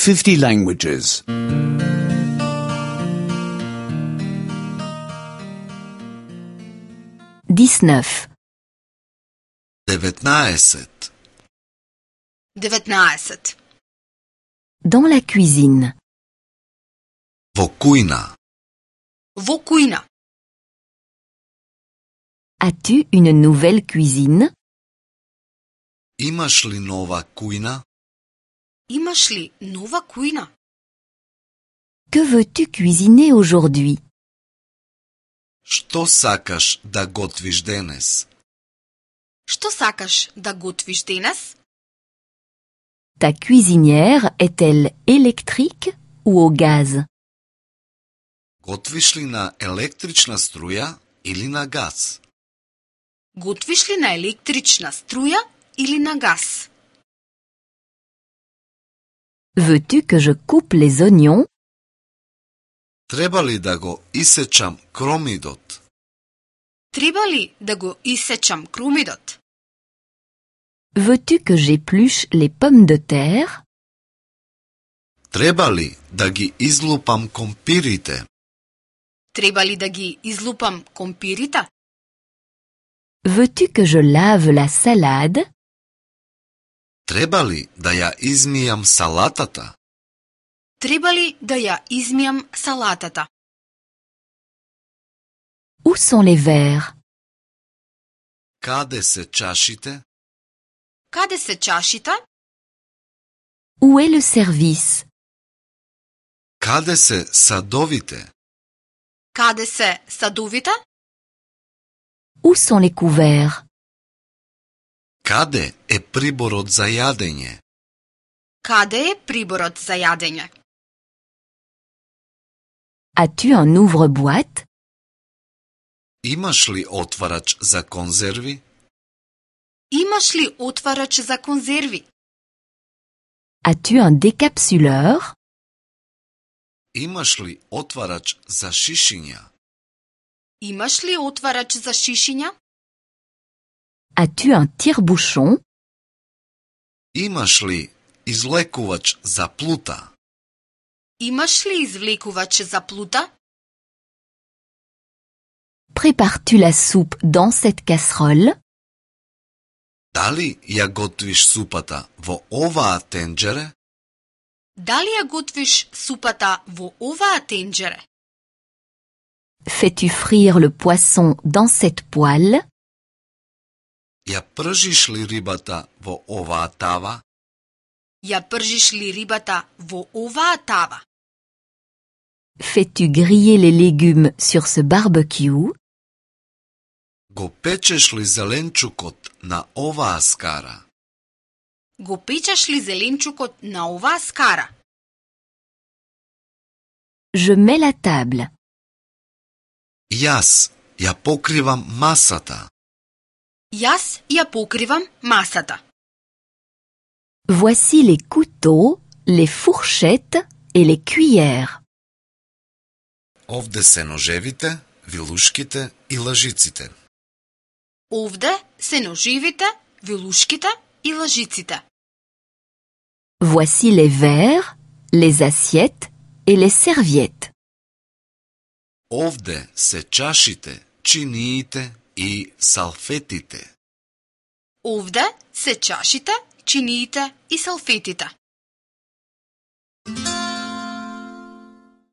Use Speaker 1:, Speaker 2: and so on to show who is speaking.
Speaker 1: 50 languages.
Speaker 2: 19.
Speaker 3: 19.
Speaker 4: 19.
Speaker 2: Dans la cuisine.
Speaker 3: Во кујна.
Speaker 4: Во кујна.
Speaker 2: As-tu une nouvelle cuisine?
Speaker 3: Имаш ли нова кујна?
Speaker 4: Имаш ли нова кујна?
Speaker 2: Que veux-tu cuisiner aujourd'hui?
Speaker 3: Што сакаш да готвиш денес?
Speaker 4: Што сакаш да готвиш денес?
Speaker 2: Ta cuisinière est-elle électrique ou au gaz?
Speaker 3: Готвиш ли на електрична струја или на газ?
Speaker 4: Готвиш ли на електрична струја или на газ?
Speaker 2: Veux-tu que je coupe les oignons?
Speaker 3: Треба ли да го исечам кромидот?
Speaker 4: Треба ли да го исечам крумидот?
Speaker 2: Veux-tu que j'épluche les pommes de terre?
Speaker 3: Треба ли да ги излупам компирите?
Speaker 4: Треба ли да ги излупам компирите?
Speaker 2: Veux-tu que je lave la salade?
Speaker 3: Треба ли да ја измијам салатата?
Speaker 4: Треба ли да ја измијам салатата?
Speaker 2: Où sont les verres?
Speaker 3: Каде се чашите?
Speaker 4: Каде се чашите?
Speaker 2: Où est le service?
Speaker 3: Каде се садовите?
Speaker 4: Каде се садовите?
Speaker 2: Où sont les couverts?
Speaker 3: Каде е приборот за јадење?
Speaker 4: Каде е приборот за јадење?
Speaker 2: As-tu un ouvre-boîte?
Speaker 3: Имаш ли отварач за конзерви?
Speaker 4: Имаш ли отварач за конзерви?
Speaker 2: As-tu un décapsuleur?
Speaker 3: Имаш ли отварач за шишиња?
Speaker 4: Имаш ли отварач за шишиња?
Speaker 2: As-tu un tire-bouchon?
Speaker 3: Имаш ли извлекувач за плута?
Speaker 4: Имаш ли извлекувач за плута?
Speaker 2: Prépares-tu la soupe dans cette casserole?
Speaker 3: Дали ја готвиш супата во оваа тенџере?
Speaker 4: Дали ја готвиш супата во оваа тенџере?
Speaker 2: Fais-tu frire le poisson dans cette poêle?
Speaker 3: Ја пржиш ли рибата во оваа тава?
Speaker 4: Ја пржиш ли рибата во оваа тава?
Speaker 2: Fais-tu griller les légumes sur ce barbecue?
Speaker 3: Го печеш ли зеленчукот на оваа скара?
Speaker 4: Го печеш ли зеленчукот на оваа скара?
Speaker 2: Je mets la table.
Speaker 3: Јас ја покривам масата.
Speaker 4: Јас ја покривам масата.
Speaker 2: Voici les couteaux, les fourchettes et les cuillères.
Speaker 3: Овде се ножевите, вилушките и лажиците.
Speaker 4: Овде се ноживите, вилушките и лажиците.
Speaker 2: Voici les verres, les assiettes et les serviettes.
Speaker 3: Овде се чашите, чиниите и салфетите.
Speaker 4: Овде се чашите, чиниите и салфетите.